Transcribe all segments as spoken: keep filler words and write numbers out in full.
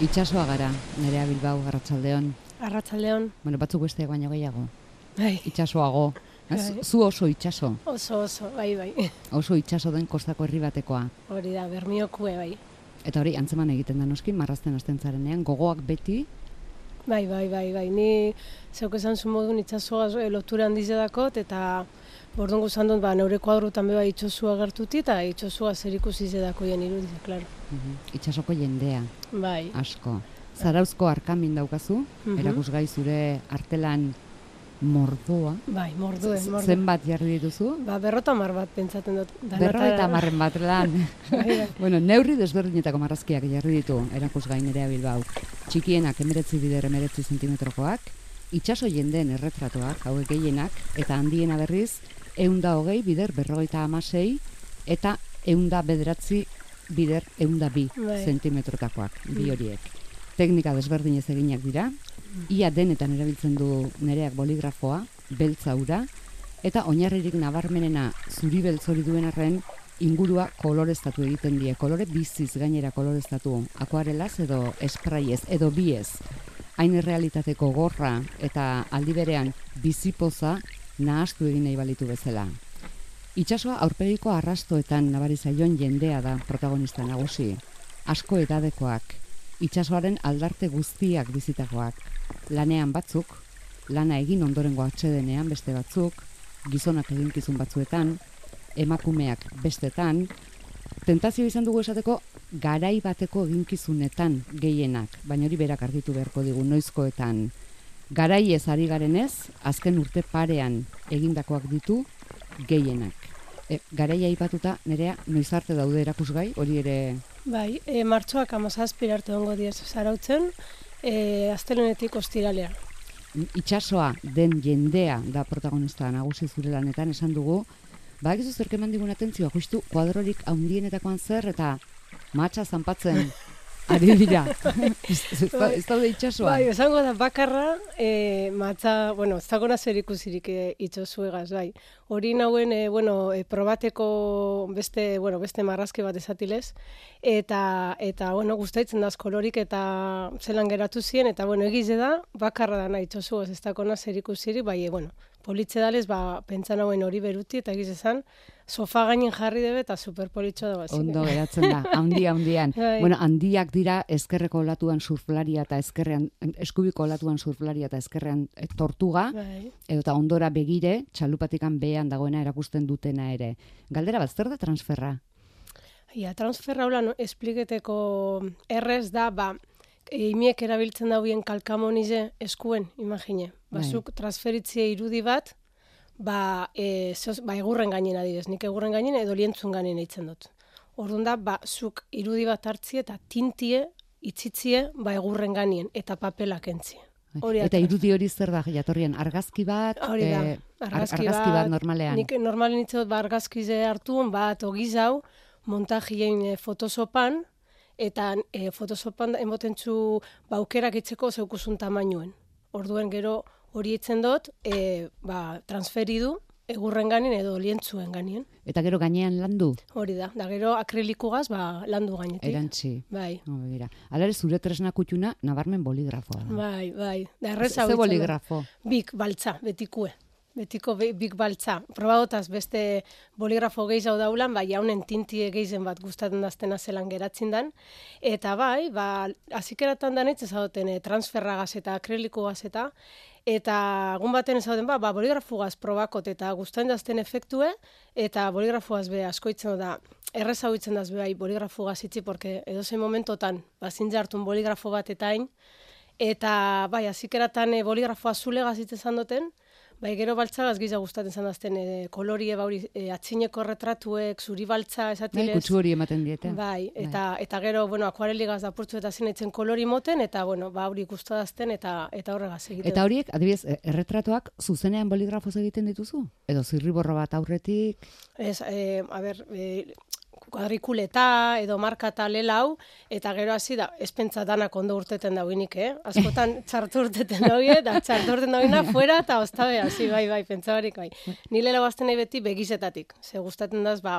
Itxasoa gara, Nerea Bilbao, Arratsaldeon. Arratsaldeon. Bueno, batzuk besteak baino gehiago. Bai. Itxasoago. Bai. Zu oso itxaso. Oso, oso, bai, bai. Oso itxaso den kostako herri batekoa. Hori da, Bermiokue, bai. Eta hori, antzeman egiten da noski, marrazten hasten zarenean, gogoak beti. Bai, bai, bai, bai. Ni zeuk esan zu modun itxasoa lotura handiz edakot, eta bordun guzan dut, ba, neure kuadrutan beba itxosua gertuti, eta itxosua zer ikusi zedakoien irudiz, klaro. Uh-huh. Itxasoko jendea. Bai. Asko. Zarauzko arkamin daukazu, uh-huh. Erakusgai zure artelan mordoa. Bai, mordue, mordue. Zenbat jarri dituzu? Ba, berrota mar bat pentsaten dut. Berrota marren bat lan. Bueno, neurri desberdinetako marrazkiak jarri ditu erakusgai Nerea Bilbao. Txikienak emeretzi bider emeretzi zentimetrokoak, itxaso jendeen erretratoak, hauek gehienak, eta handiena berriz, eunda hogei bider berrogeita hamasei, eta eunda bederatzi bider eunda bi zentimetrotakoak, bi horiek. Teknika desberdinez eginak dira, ia denetan erabiltzen du Nereak boligrafoa, beltza ura, eta oinarririk nabarmenena zuri beltz hori duen arren, ingurua koloreztatu egiten die, kolore biziz gainera koloreztatu, akuarelaz edo espraiez, edo biez. Hain errealitateko gorra eta aldi berean bizipoza nahastu egin nahi balitu bezala. Itxasoa aurpegiko arrastoetan nabari zaion jendea da protagonista nagusi, asko edadekoak, itxasoaren aldarte guztiak bizitakoak, lanean batzuk, lana egin ondorengo atsedenean beste batzuk, gizonak eginkizun batzuetan, emakumeak bestetan, tentazio izan dugu esateko garai bateko eginkizunetan gehienak, baina hori berak argitu beharko digu noizkoetan. Garai ez ari garenez, azken urte parean egindakoak ditu gehienak. E, garaia aipatuta, Nerea, noiz arte daude erakusgai, hori ere... Bai, e, martxoak amazazpira arte ongo diez zarautzen, e, astelenetik ostiralea. Itxasoa den jendea da protagonista nagusi zure lanetan, esan dugu, badakizu zerk eman digun atentzioa, justu kuadrorik handienetakoan zer eta matxa zanpatzen ari dira. Ez daude itxasoa. Bai, esango da bakarra, e, matxa, bueno, ez dagoena zer ikusirik e, itxosuegaz, bai. Hori nauen, e, bueno, e, probateko beste, bueno, beste marrazki bat esatilez, eta, eta bueno, gustaitzen daz kolorik eta zelan geratu ziren, eta, bueno, egize da, bakarra da nahi itxosuegaz, ez dagoena zer ikusirik, bai, e, bueno, politxe dalez, ba, pentsan hauen hori beruti, eta egiz esan, sofa gainin jarri debe eta superpolitxo da bazik. Ondo geratzen da, handi handian. Bueno, handiak dira ezkerreko olatuan surflaria eta ezkerrean, eskubiko olatuan surflaria eta ezkerrean e, tortuga, bai. Edo eta ondora begire, txalupatikan behean dagoena erakusten dutena ere. Galdera bat, zer da transferra? Ja, transferra hola, no, espliketeko errez da, ba, imiek erabiltzen dauen kalkamonize eskuen, imagine. Bazuk transferitzie irudi bat, ba, e, zoz, ba egurren gainen adibidez, nik egurren gainen edo lientzun gainen eitzen dut. Orduan da, ba, zuk irudi bat hartzie eta tintie, itzitzie, ba egurren gainen eta papelak entzie. Hori eta irudi hori zer da jatorrian, argazki bat? Hori da, argazki, ar, argazki bat, bat normalean. Nik normalen hitz dut, ba, argazkize hartuen, bat ogizau, montajien e, fotosopan, eta e, fotosopan emotentzu ba, aukerak itzeko zeukusun tamainuen. Orduen gero hori itzen dut, e, ba, transferidu, egurren ganin edo lientzuen ganien. Eta gero gainean landu? Hori da, da gero akrilikugaz ba, landu gainetik. Erantzi. Bai. Oh, Alare zure tresna kutxuna nabarmen boligrafoa da. Bai, bai. Da erreza Ze boligrafo? Bik, baltza, betikue. Betiko bik baltza. Probadotaz beste boligrafo gehiago daulan, bai, jaunen tintie gehizen bat gustatzen daztena zelan geratzen dan. Eta bai, ba, azikeratan danitz ezagoten e, transferragaz eta akrilikugaz eta Eta egun baten ezauten, ba, ba boligrafugaz probakot eta gustatzen dazten efektue, eta boligrafuaz be askoitzen da, errez hau itzen daz behai boligrafugaz itzi, porque edozein momentotan, ba, zintze hartun boligrafo bat eta hain, eta bai, azikeratan e, boligrafo azulegaz itzen duten, bai, gero baltzagaz giza gustatzen zandazten e, kolorie, bauri, e, atxineko retratuek, zuri baltza esatilez. Bai, kutsu hori ematen diete. Bai, eta, bai. Eta gero, bueno, akuareligaz dapurtzu eta zinaitzen kolori moten, eta, bueno, ba, hori gustadazten eta eta horregaz egiten. Eta horiek, adibidez, erretratuak zuzenean boligrafoz egiten dituzu? Edo zirriborro bat aurretik? Ez, e, a ber, e, kuadrikuleta edo marka eta lelau, eta gero hasi da, espentsa danak ondo urteten dauinik, eh? Askotan txartu urteten dauie, eta txartu urteten dauina fuera, eta oztabe, hasi, bai, bai, pentsabarik, bai. Ni lelau azten nahi beti begizetatik, ze gustaten daz, ba,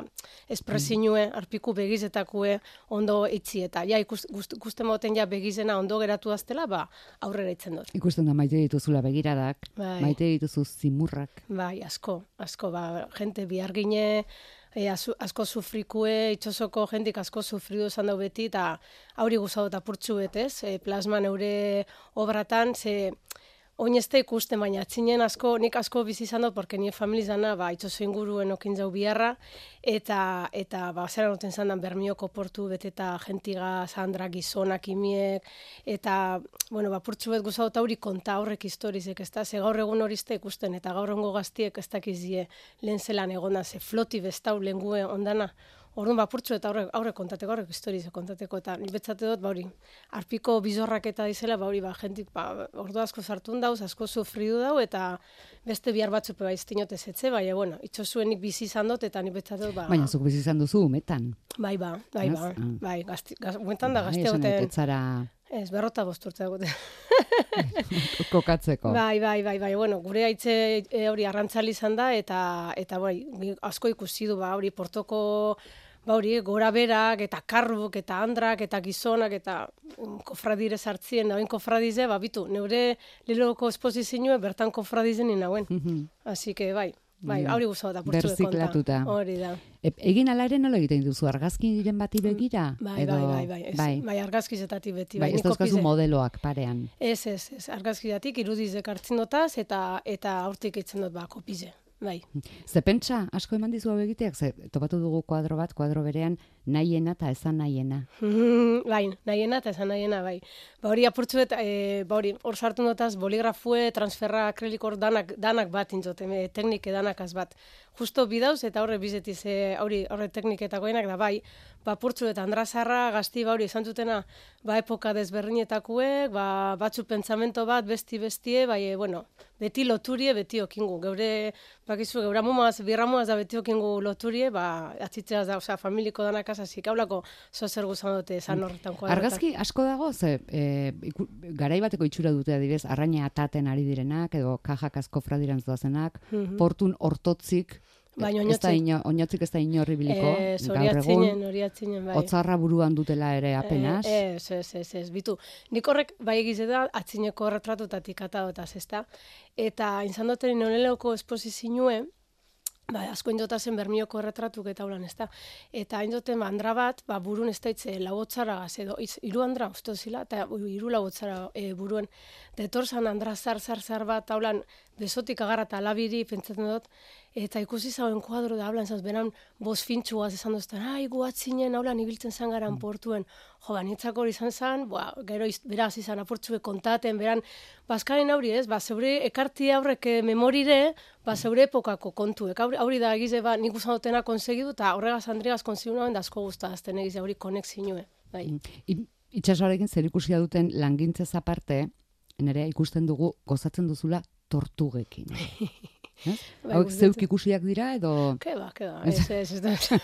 espresinue, arpiku begizetakue ondo itzi, eta ja, ikusten moten ja begizena ondo geratu aztela, ba, aurrera itzen dut. Ikusten da maite dituzula begiradak, bai. Maite dituzu zimurrak. Bai, asko, asko, ba, jente bihargine, e, asko sufrikue, itxosoko jentik asko sufridu esan dau beti, eta hauri guzau eta purtsu betez, e, plasman eure obratan, ze oin ez da ikusten, baina atzinen asko, nik asko bizi izan dut, porque nire familizana, ba, itxoso inguruen okin jau biharra, eta, eta ba, zera noten zandan Bermioko portu beteta gentiga, Sandra, gizonak, imiek, eta, bueno, ba, purtsu bet guzau eta hori konta horrek historizek, ez da, ze gaur egun hori izte ikusten, eta gaur egungo gaztiek ez dakizie lehen zelan egona, ze floti bestau lengue ondana, orduan ba, purtsu eta aurre, aurre kontateko, aurrek historize kontateko, eta ni betzate dut, ba hori, arpiko bizorrak eta dizela, ba hori, ba, jentik, ba, ordu asko sartun dauz, asko sufridu dau, eta beste bihar batzupe ba iztinote zetze, bai, bueno, itxosuenik bizi izan dut, eta ni betzate dut, ba... Baina, zuk bizi izan duzu, umetan. Bai, ba, bai, ba, bai, gazti, gaz, umetan da gazte goten... Ez, berrota bosturtza goten. Kokatzeko. Bai, bai, bai, bai, bueno, gure haitze hori arrantzali izan da, eta, eta bai, asko ikusi du, ba, hori portoko... Ba hori, gora berak, eta karruk, eta andrak, eta gizonak, eta kofradire sartzien, da, kofradize, ba, bitu, neure liloko esposizioa bertan kofradizen inauen. Así que, bai, bai, hori guzau da, purtsu de konta. Berziklatuta. Hori da. E, egin ala ere nola egiten duzu, argazkiren bati begira? Bai, edo... bai, bai, bai, ez, bai. bai argazkizetatik beti. Bai, ez dauzkazu modeloak parean. Ez, ez, ez, argazkizatik irudizek hartzen dotaz, eta, eta aurtik itzen dut, ba, kopize. Bai. Ze pentsa, asko eman dizu hau egiteak, ze topatu dugu kuadro bat, kuadro berean, nahiena eta ezan nahiena. Bai, nahiena eta ezan nahiena, bai. Ba hori apurtzuet, e, ba hori, hor sartu notaz, boligrafue, transferra, akrilikor, danak, danak bat intzote, teknike danakaz bat. Justo bidauz eta horre bizetiz, e, hori, horre tekniketakoenak da, bai, ba purtzu eta andrazarra, gazti, ba hori, esan zutena, ba epoka desberdinetakuek, ba batzu pentsamento bat, besti bestie, bai, e, bueno, beti loturie, beti okingu. Geure, bakizu, geura mumaz, birramuaz da beti okingu loturie, ba, atzitzeaz da, osea, familiko danakaz, hasi kaulako zozer guzan dute esan horretan kuadrotan. Argazki asko dago, ze, e, iku, garai bateko itxura dute adibidez, arraina ataten ari direnak, edo kajak asko fradiran doazenak, mm-hmm. portun hortotzik, baina ez da ino, oinotzik ez da inorri biliko, e, gaur egun, atzinen, bai. Otzarra buruan dutela ere apenas. E, ez, ez, ez, ez, bitu. Nik horrek bai egize da, atzineko retratutatik atadotaz, ez da. Eta izan duten noleleko esposizioe, ba, asko indotazen Bermioko erretratuk eta ulan, ez da. Eta indoten ba, andra bat, ba, burun ez da itze lauotzara gaz, edo itz, iru andra uste zila, eta iru lauotzara e, buruen. Detorzan andra zar, zar, zar bat, haulan, besotik agarra eta labiri, pentsatzen dut, eta ikusi zauen kuadro da, haulan, zaz, beran, boz fintxuaz esan duzten, ai, guatzinen, haulan, ibiltzen zan garan portuen. Jo, ba, nitzak hori izan zan, ba, gero iz, beraz izan apurtzue kontaten, beran, bazkaren aurri ez, ba, zeure ekarti aurrek memorire, ba, zeure epokako kontuek. Hori da egize, ba, nik usan dutena konsegidu, eta horregaz Andreas konsegidu nahen, da asko guztazten egize, hori konexinue. Bai. Itxasoarekin zer ikusia duten langintzez aparte, nire ikusten dugu gozatzen duzula tortugekin. Hauek zeuk ikusiak dira edo... Ke ba, ke ba, ez, ez, ez.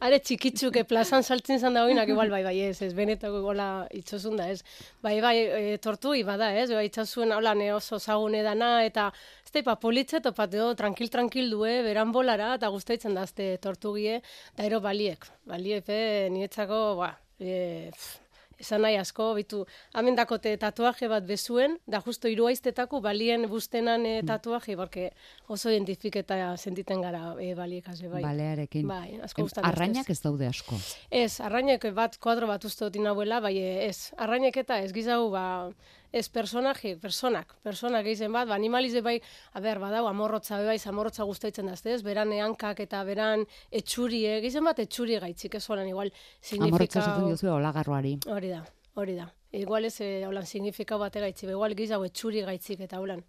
Are txikitzuke plazan saltzen zan da hoinak, igual bai, bai, ez, ez, benetako gola itxosun da, ez. Bai, bai, e, tortugi bada, ez, bai, itxosuen holan oso zagune dana, eta ez da, ipa politze, topat edo, tranquil-tranquil due, beran bolara, eta guztaitzen da, azte tortugie, da ero baliek, baliek, nietzako, ba, e, pff, esan nahi asko, bitu, hamen dakote tatuaje bat bezuen, da justo hiru aiztetako balien bustenan e, tatuaje, porque oso identifiketa sentiten gara e, baliekaz, bai. Balearekin. Bai, asko gustan. Arrainak ez daude asko. Ez, arrainak bat, kuadro bat uste dut inabuela, bai ez, arrainak eta ez gizau, ba, ez personaje, personak, personak egiten bat, ba, animalize bai, a ber, badau, amorrotza, bai, amorrotza guztaitzen dazte, ez, beran ehankak eta beran etxurie, egiten bat etxurie gaitzik, ez holan, igual, signifikau... Amorrotza zaten diozu olagarroari. Hori da, hori da. Igual ez, eh, holan, signifikau bate gaitzik, igual gizau etxuri gaitzik eta holan.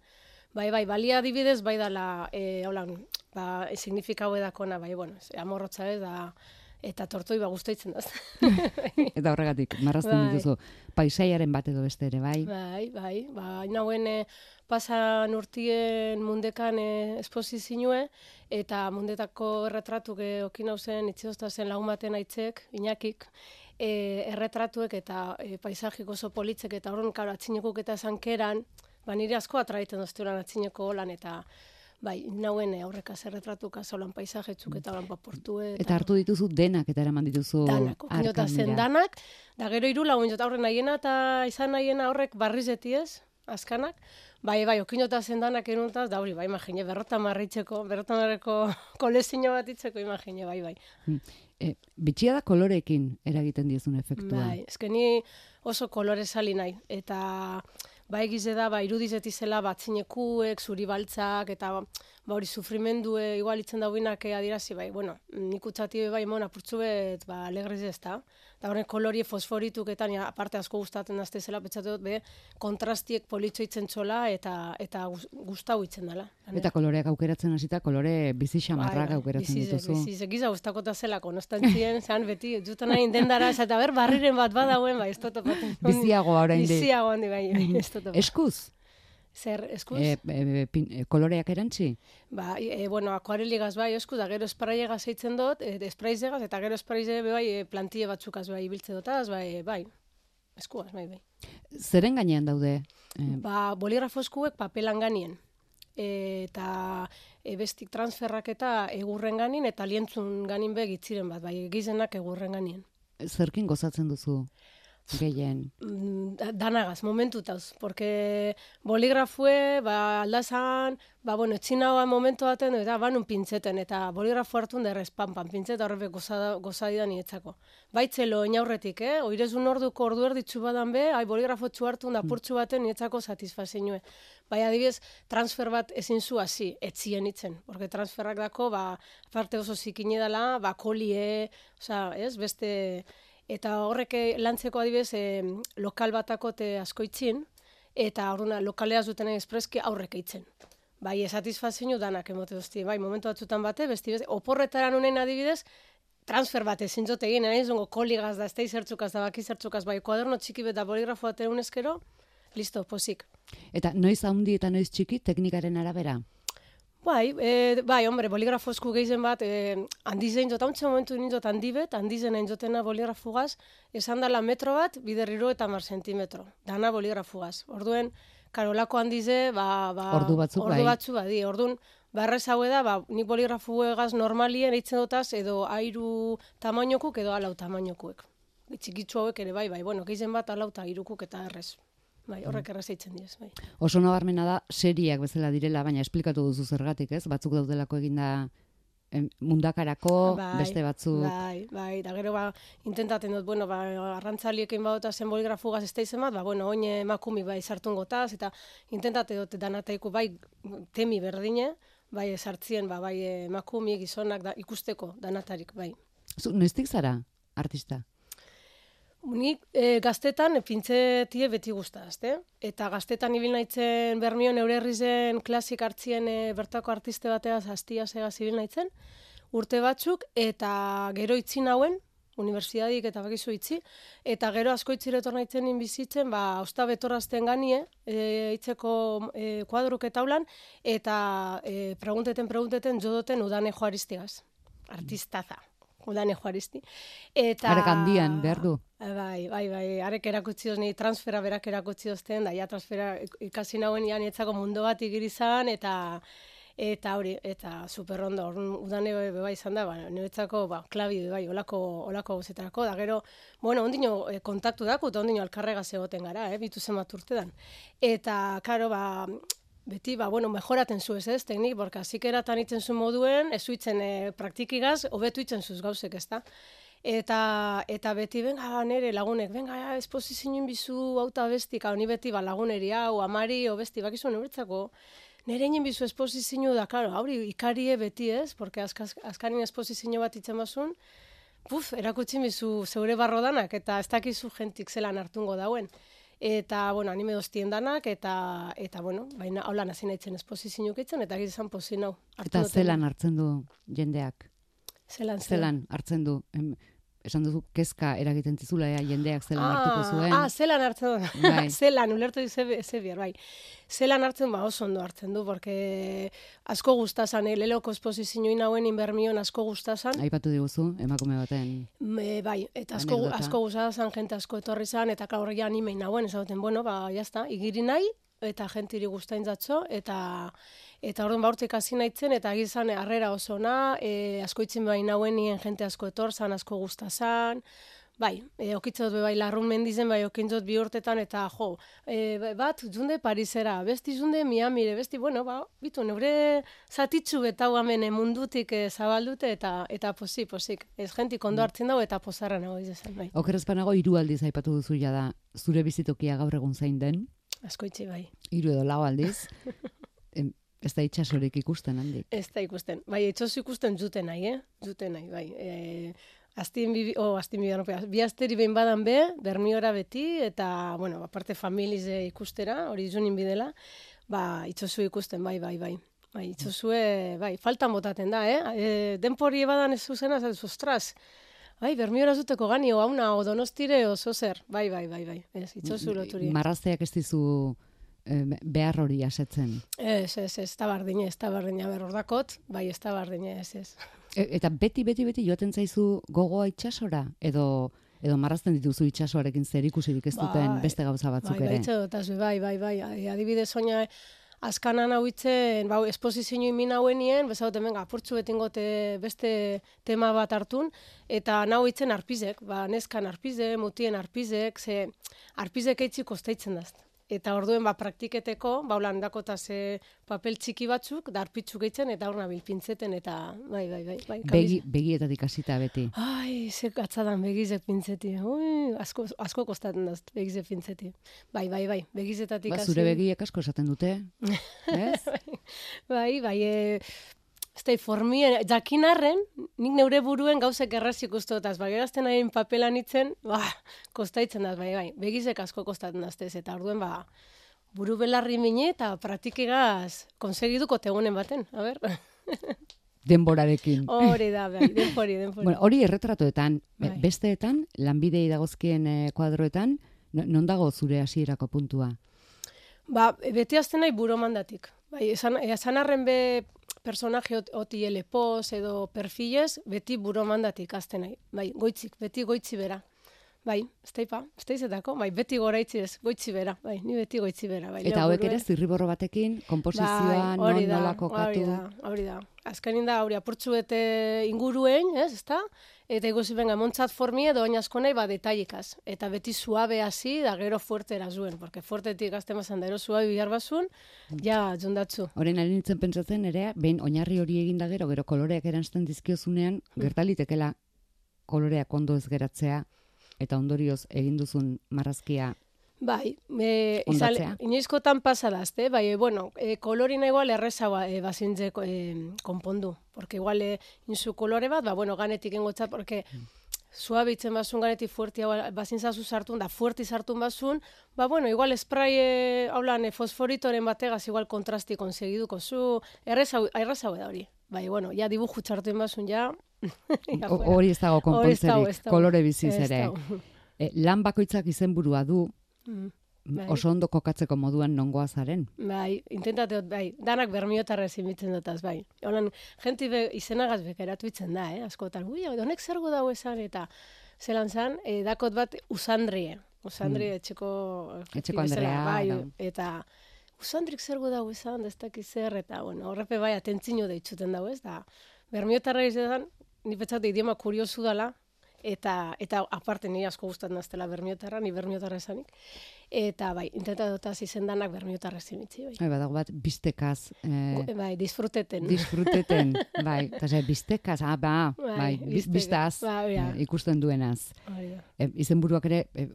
Bai, bai, balia adibidez, bai dala, eh, holan, ba, signifikau edakona, bai, bueno, amorrotza ez da... eta tortoi ba guztoitzen daz. Eta horregatik, marrazten bai. dituzu, paisaiaren bat edo beste ere, bai? Bai, bai, ba, inauen e, pasan urtien mundekan e, esposizioe, eta mundetako erretratuk e, okin hauzen, itziozta zen lagun baten aitzek, Iñakik, e, erretratuek eta e, paisajik oso politzek, eta horren, karo, atzinekuk eta zankeran, ba, nire asko atraiten dozturan atzineko holan, eta bai, nauen aurrekaz erretratukaz holan paisajetzuk eta holan paportue. Eta, eta hartu dituzu denak eta eraman dituzu danak, okinota zen danak, da gero hiru lagun jota horren nahiena eta izan nahiena horrek barrizeti ez, azkanak, bai, bai, okinota zen danak eruntaz, da hori, bai, imagine, berrota marritzeko, berrota marreko kolezino bat itzeko, imagine, bai, bai. E, bitxia da kolorekin eragiten diezun efektua. Bai, eskeni oso kolore sali nahi, eta ba egize da, ba, irudizetizela batzinekuek, zuri baltzak, eta ba hori sufrimendue igual itzen dauinak adirazi, bai, bueno, nik utzati bai mon apurtzu bet, ba, alegriz ez da. Eta horren kolorie fosforituketan, ja, aparte asko gustatzen dazte zela, petzatu dut, be, kontrastiek politxo itzen txola, eta, eta gustau itzen dela. Eta koloreak aukeratzen hasita, kolore bizi xamarrak bai, aukeratzen bizize, dituzu. Bizize, giza gustakota zelako, nostantzien, zean beti, jutan nahi indendara, eta ber, barriren bat badauen, bai, ez totopaten. Biziagoa orain de. Biziagoa handi, bai, ez totopaten. Eskuz? Zer, eskuz? E, e, pin, e, koloreak erantzi? Ba, e, bueno, akuareligaz bai, eskuz, da gero espraiegaz eitzen dut, e, espraizegaz, eta gero espraize bai, e, plantille batzukaz bai, ibiltze dutaz, bai, bai, eskuaz, bai, bai. Zeren gainean daude? E... Ba, boligrafo eskuek papelan ganien. E, eta e, bestik transferrak eta egurren ganin, eta lientzun ganin be gitziren bat, bai, gizenak egurren ganien. Zerkin gozatzen duzu? Gehien. Danagaz, momentutauz, porque boligrafue, ba, aldazan, ba, bueno, etxinagoa momentu baten, eta banun pintzeten, eta boligrafo hartun derrez, pan, pan, pintzeta horrebe gozadidan nietzako. Baitzelo, inaurretik, eh? Oirezun orduko ordu erditzu badan be, ai, boligrafo txu hartun da purtsu baten nietzako satisfazinue. Bai, adibidez, transfer bat ezin zu hasi, etzien itzen, porque transferrak dako, ba, parte oso zikine dela, ba, kolie, oza, ez, beste... Eta horrek lantzeko adibidez e, lokal batakote asko itzin, eta horrena lokaleaz duten espreski aurrek eitzen. Bai, satisfazio danak emote duzti, bai, momentu batzutan bate, besti beste, oporretaran honen adibidez, transfer bat ezin zote egin, nahi zongo koligaz da, estei zertzukaz da, baki zertzukaz, bai, kuaderno txiki bet da boligrafo bat egunezkero, listo, posik. Eta noiz handi eta noiz txiki teknikaren arabera? Bai, e, bai, hombre, boligrafo esku gehizen bat, e, handizein jota, ontsa momentu nintzot handibet, handizen hain jotena boligrafugaz, esan dela metro bat, biderriro eta mar sentimetro, dana boligrafugaz. Orduen, karolako handize, ba, ba, ordu batzuk, ordu batzu, bai, orduan, barrez haue da, ba, nik boligrafuegaz normalien eitzen dutaz, edo airu tamainokuk, edo alau tamainokuek. Txikitzu hauek ere, bai, bai, bueno, gehizen bat alau eta irukuk eta errez. Bai, horrek errazeitzen diez, bai. Oso nabarmena da seriak bezala direla, baina esplikatu duzu zergatik, ez? Batzuk daudelako eginda em, mundakarako, bai, beste batzuk. Bai, bai, da gero ba, intentaten dut, bueno, ba, arrantzaliekin badota zen boligrafugaz ez teizen bat, ba, bueno, oin emakumi bai sartun gotaz, eta intentate dut danataiku bai temi berdine, bai sartzien, ba, bai emakumi, gizonak da, ikusteko danatarik, bai. Zu, noiztik zara, artista? Nik e, gaztetan pintzetie beti guztazte. Eta gaztetan ibil naitzen Bermion eure herrizen klasik hartzien e, bertako artiste bateaz hastia segaz ibil naitzen. Urte batzuk eta gero itzi nauen, unibertsitatik eta bakizu itzi, eta gero asko itziretor naitzen inbizitzen, ba, osta betorazten ganie, e, itzeko e, kuadruk eta ulan, eta e, pregunteten, pregunteten jodoten udane joaristigaz. Artistaza. Udane joaristi. Eta... Arek handian, behar du. Bai, bai, bai, arek erakutzi ni transfera berak erakutzi dozten, da ja transfera ikasi nauen ja nietzako mundu bat igirizan, eta eta hori, eta superrondo, udane bai izan da, ba, niretzako, ba, klabi, bai, olako, olako gauzetarako, da gero, bueno, ondino eh, kontaktu dako, eta ondino alkarrega zegoten gara, eh, bitu zen bat urtedan. Eta, karo, ba, beti, ba, bueno, mejoraten zu ez ez, teknik, borka, zikeratan itzen zu moduen, ez zuitzen e, praktikigaz, hobetu itzen zuz gauzek, ez da. Eta, eta beti, benga, nere lagunek, benga, esposizioen bizu, auta bestik, hau, ni beti, ba, laguneri, hau, amari, o besti, bakizu, nebertzako, nere inen bizu esposizio da, karo, hauri, ikarie beti ez, porque azkaz, azkarin esposizio bat itzen bazun, puf, erakutsi bizu zeure barrodanak, eta ez dakizu jentik zelan hartungo dauen. Eta, bueno, anime doztien danak, eta, eta bueno, baina, hau lan hasi nahitzen esposizioak itzen, eta gizan pozin hau. Eta zelan hartzen du jendeak? Zelan, zelan hartzen du. Em, esan duzu, kezka eragiten zizula, ea, jendeak zelan ah, hartuko zuen. Ah, zelan hartzen du. Bai. Zelan, ulertu ze, ze bier, bai. Zelan hartzen, ba, oso ondo hartzen du, porque asko gustazan, eh, leloko esposizioin hauen inbermion asko gustazan. Aipatu diguzu, emakume baten. Me, bai, eta asko, anekdota. asko gustazan, jente asko etorri zan, eta klaur ja animein hauen, ezauten, bueno, ba, jazta, igiri nahi, eta jentiri guztain zatzo, eta eta orduan baurtik hasi naitzen, eta gizan harrera oso ona, e, asko itzen behin hauen nien jente asko etor zan, asko gustazan, bai, e, okitzot bai larrun mendizen, bai okintzot bi urtetan, eta jo, e, bat, junde Parisera, besti junde Miamire, besti, bueno, ba, bitu, neure zatitzu betau hemen mundutik e, zabaldute, eta eta posi, posik, ez jentik ondo hartzen dago, eta pozarra nago izan, bai. Okerrezpanago hiru aldiz aipatu duzu da zure bizitokia gaur egun zain den. Asko itxi, bai. Hiru edo lau aldiz. em, ez da itxasorik ikusten handik. Ez da ikusten. Bai, itxosu ikusten zuten nahi, eh? Zuten nahi, bai. E, Aztien bibi, oh, aztien bibi, no, bi asteri behin badan be, Bermiora beti, eta, bueno, aparte familize ikustera, hori junin bidela, ba, itxosu ikusten, bai, bai, bai. Bai, itxosue, bai, faltan botaten da, eh? E, denpori badan ez zuzena, ez ostras, bai, Bermiora zuteko gani, o hauna, o donostire, o zozer, bai, bai, bai, bai, ez, itxosu loturi. Marrazteak ez dizu eh, behar hori asetzen. Ez, ez, ez, eta bardine, ez da bardine, berordakot, bai, ez da bardine, ez, ez. E, eta beti, beti, beti joaten zaizu gogoa itxasora? Edo, edo marrazten dituzu itxasoarekin zer ikusirik ez duten bai, beste gauza batzuk bai, ere? Bai, bai, bai, bai, adibidez oina, azkanan hau itzen, bau, esposizio imin hauenien, bezauten, venga, apurtzu betingote beste tema bat hartun, eta nahu itzen arpizek, ba, neskan arpize, mutien arpizek, ze arpizek eitzi kostaitzen daz. Eta orduen, ba, praktiketeko, ba, holan dakota ze papel txiki batzuk, da arpitzuk eitzen, eta hor nabil pintzeten, eta, bai, bai, bai. bai Begi, begietatik hasita beti. Ai, ze atzadan begizek pintzeti. Ui, asko, asko kostaten daz, begizek pintzeti. Bai, bai, bai, begizetatik Ba, hasi. zure begiek asko esaten dute, ez? bai, bai, e, ez da, formien, jakinarren, nik neure buruen gauzek erraz ikustotaz, bai, gerazten hain papelan itzen, ba, kostaitzen daz, bai, bai, begizek asko kostaten daztez, eta orduen, ba, buru belarri mine, eta praktikegaz konsegiduko tegunen baten, a ber. Denborarekin. Hori da, bai, denpori, denpori. Bueno, hori erretratoetan, Bai. besteetan, lanbidei dagozkien eh, kuadroetan, non dago zure hasierako puntua? Ba, beti azten nahi buro mandatik. Bai, esan, esan arren be personaje oti elepoz edo perfilez, beti buro mandatik azten nahi. Bai, goitzik, beti goitzi bera. Bai, ez taipa, ez taizetako, bai, beti goraitzi ez, goitzi bera, bai, ni beti goitzi bera. Bai, Eta hauek ere zirriborro batekin, komposizioa, non hori da, nola kokatu. Hori da, hori da. Azkenin da, hori apurtzu bete inguruen, ez, ezta? Eta iguzi benga, montzat formi edo oin asko nahi, ba, detailikaz. Eta beti suabe hasi, da gero fuerte erazuen, porque fuertetik azte mazan da, ero suabe bihar bazun, ja, jundatzu. Horren ari nintzen pentsatzen ere, behin oinarri hori egin da gero, gero koloreak eranzten dizkiozunean, gertalitekela koloreak ondo ez geratzea, eta ondorioz egin duzun marrazkia bai, e, izan, inoizkotan pasadazte, bai, e, bueno, e, kolorina igual errezagoa e, bazintze e, konpondu, porque igual e, inzu kolore bat, ba, bueno, ganetik engotzat, porque suabe itzen bazun ganetik fuerti bazintzazu sartun, da fuerti sartun bazun, ba, bueno, igual spray, e, haulan, e, fosforitoren bategaz igual kontrasti konsegiduko zu, errezagoa da hori. Bai, bueno, ja dibuju txartuen bazun, ja... Hori ez dago konpontzerik, kolore biziz ere. E, lan bakoitzak izenburua du, mm, bai. Oso ondo kokatzeko moduan nongoa zaren. Bai, intentateot, bai, danak bermiotarra ezimitzen dutaz, bai. Holan, jenti be, izenagaz bekeratu itzen da, eh, askotan. Ui, honek zergo dago esan, eta zelan zan, e, dakot bat usandrie. Usandrie, mm. etxeko... Etxeko Andrea. Bai, no. Eta... Usandrik zergo dago esan, ez dakiz zer, eta, bueno, horrepe bai, atentzino deitzuten dago, ez, da, bermiotarra izan, ni petzat idioma kuriosu dala, eta, eta aparte nire asko gustatzen daztela bermiotarra, ni bermiotarra esanik, eta bai, intentatotaz izendanak bermiotarra zimitzi, bai. Bai, badago bat, biztekaz. Eh, bai, disfruteten. Disfruteten, bai, eta ze, biztekaz, ah, ba, bai, bai biztaz, bai, ja. eh, ikusten duenaz. Bai, ja. eh, izenburuak ere, eh,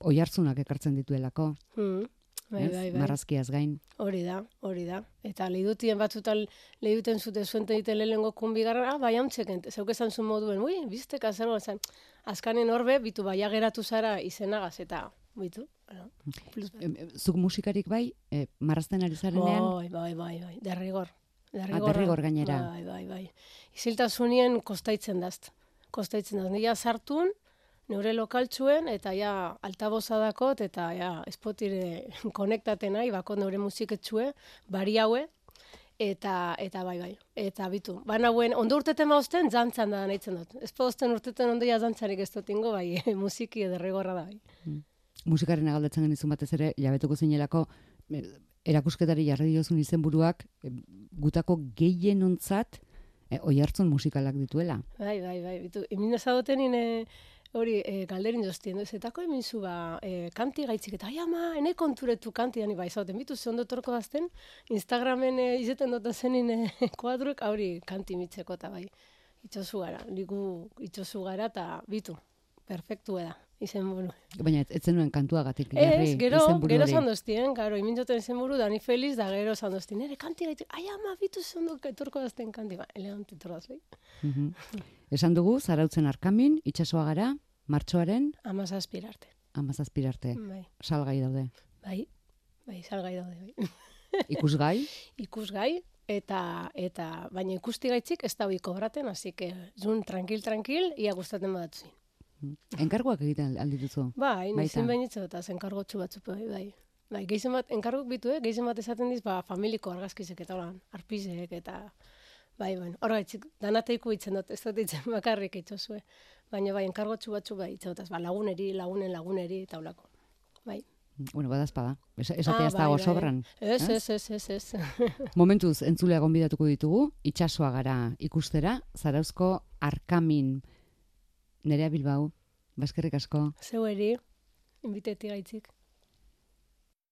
oihartzunak ekartzen dituelako. Mm. Bai, bai, bai. Marrazkiaz gain. Hori da, hori da. Eta lehidutien batzutan lehiduten zute zuente dite lehenengo kunbigarra, ah, bai hamtzeken, zeuk esan zuen moduen, ui, bizteka zer zen. Azkanen horbe, bitu bai ageratu zara izenagaz, eta bitu. Bueno, Zuk musikarik bai, eh, marrazten ari zarenean? Bai, bai, bai, bai, derrigor. derrigor gainera. Bai, bai, bai. Iziltasunien kostaitzen dazt. Kostaitzen daz. Nia sartun, neure lokaltxuen, eta ja altaboza dakot, eta ja espotire konektaten nahi, bakot neure musiketxue, bari haue, eta, eta bai, bai. Eta bitu, baina hauen, ondo urteten mauzten, zantzan da nahitzen dut. Ez pozten urteten ondoia zantzarik ez dutingo, bai, musiki derrigorra da, bai. Mm. Musikaren agaldatzen genizun batez ere, jabetuko zinelako, erakusketari jarri diozun izenburuak gutako gehienontzat e, oihartzun musikalak dituela. Bai, bai, bai. Bitu, emin ezagoten ine, hori, e, galderin doztien, zetako emin zu ba, e, kanti gaitzik, eta ai ama, ene konturetu kanti dani bai ezagoten. Bitu, ze ondo torko dazten, Instagramen e, izeten dota zenin e, kuadruek, hori kanti mitzeko eta bai. Itxosu gara, ligu itxosu gara, eta bitu, perfektu da. Izenburu. Baina ez zenuen kantuagatik jarri ez, gero, izenburu hori. Gero zandoztien, garo, imintoten izenburu, dani feliz, da gero zandoztien. Ere kanti gaitu, ai ama, bitu zondo etorko dazten kanti. Ba, elegan titorraz, bai. Uh-huh. Esan dugu, Zarautzen Arkamin, itsasoa gara, martxoaren? Amazazpirarte. Amazazpirarte. Bai. Salgai daude. Bai, bai, salgai daude, bai. Ikusgai? Ikusgai, eta, eta, baina ikusti gaitzik ez da hoi kobraten, hasi que, zun, tranquil-tranquil, ia gustaten badatuzin. Enkarguak egiten aldituzu? Bai, nizin behinitzu eta enkargotxu batzu, bai, bai. Bai, gehien bat, enkargok bitu, eh? Gehien bat esaten diz, ba, familiko argazkizek eta holan, arpizek eta, bai, bai, hor gaitzik, danateiku itzen dut, ez dut itzen bakarrik itxosue. Baina, bai, enkargotxu batzu, bai, itzen dut, ba, laguneri, lagunen laguneri eta holako. Bai. Bueno, badazpada, esatea ah, ez dago bai, sobran. Ez, ez, ez, ez, ez. Momentuz, entzulea gonbidatuko ditugu, itsasoa gara ikustera, Zarauzko Arkamin. Nerea Bilbao, baskerrik asko. Zeu eri, inbiteti gaitzik.